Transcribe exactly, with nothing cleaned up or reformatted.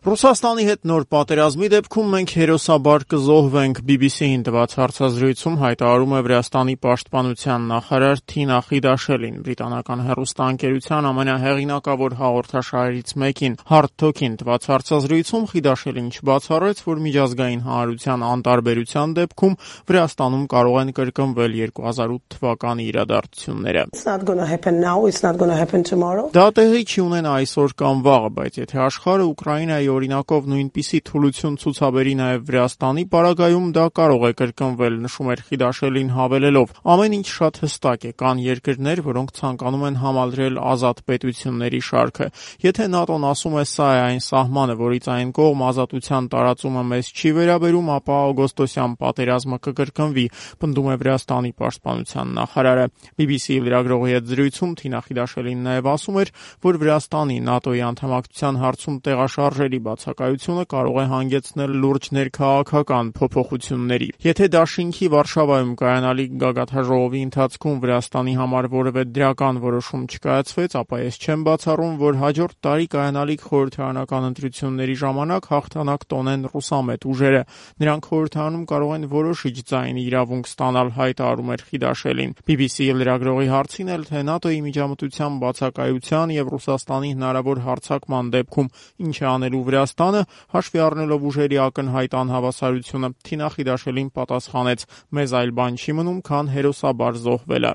Ռուսաստանի հետ նոր պատերազմի դեպքում մենք հերոսաբար կզոհվենք, բի բի սի-ին տված հարցազրույցում հայտարարում է Վրաստանի պաշտպանության նախարար Թինա Խիդաշելին։ Բրիտանական հեռուստաընկերության ամենահեղինակավոր հաղորդաշարերից մեկին Hard Talk-ին տված հարցազրույցում Խիդաշելին չբացառեց, որ միջազգային հանրության անտարբերության դեպքում Վրաստանում կարող են կրկնվել երկու հազար ութ թվականի իրադարձությունները։ Դա տեղի չի ունենա այսօր կամ վաղը, բայց եթե աշխարհը Ուկրաինայի օրինակով նույնպիսի թուլություն ցուցաբերի նաև Վրաստանի պարագայում, դա կարող է կրկնվել, նշում էր Խիդաշելին հավելելով. ամեն ինչ շատ հստակ է, կան երկրներ, որոնք ցանկանում են համալրել ազատ պետությունների շարքը։ Եթե ՆԱՏՕ-ն ասում է սա է այն սահմանը, որից այն կողմ ազատության տարածումը մեզ չի վերաբերում, ապա օգոստոսյան պատերազմը կկրկնվի, պնդում է Վրաստանի պաշտպանության նախարարը։ բի բի սի-ի լրագրողի հետ զրույցում Թինա Խիդաշելին նաև ասում էր, որ Վրաստանի ՆԱՏՕ-ի անդամակցության հարցում տեղաշարժերի բացակայությունը կարող է հանգեցնել լուրջ ներքաղաքական փոփոխությունների։ Եթե դաշինքի Վարշավայում կայանալիք գագաթնաժողովի ընթացքում Վրաստանի համար որևէ դրական որոշում չկայացվեց, ապա ես չեմ բացառում, որ հաջորդ տարի կայանալիք խորհրդարանական ընտրությունների ժամանակ հաղթանակ տոնեն ռուսամետ ուժերը։ Նրանք խորհրդարանում կարող են որոշիչ ձայնի իրավունք ստանալ, հայտարարում էր Խիդաշելին։ բի բի սի-ի լրագրողի հարցին էլ, թե ՆԱՏՕ-ի միջամտության բացակայության եւ Ռուսաստանի հնարավոր հարձակման դեպքում ինչ է անելու Վրաստանը, հաշվի առնելով ուժերի ակնհայտ անհավասարությունը, Թինա Խիդաշելին պատասխանեց. մեզ այլ բան չի մնում, քան հերոսաբար զոհվելը։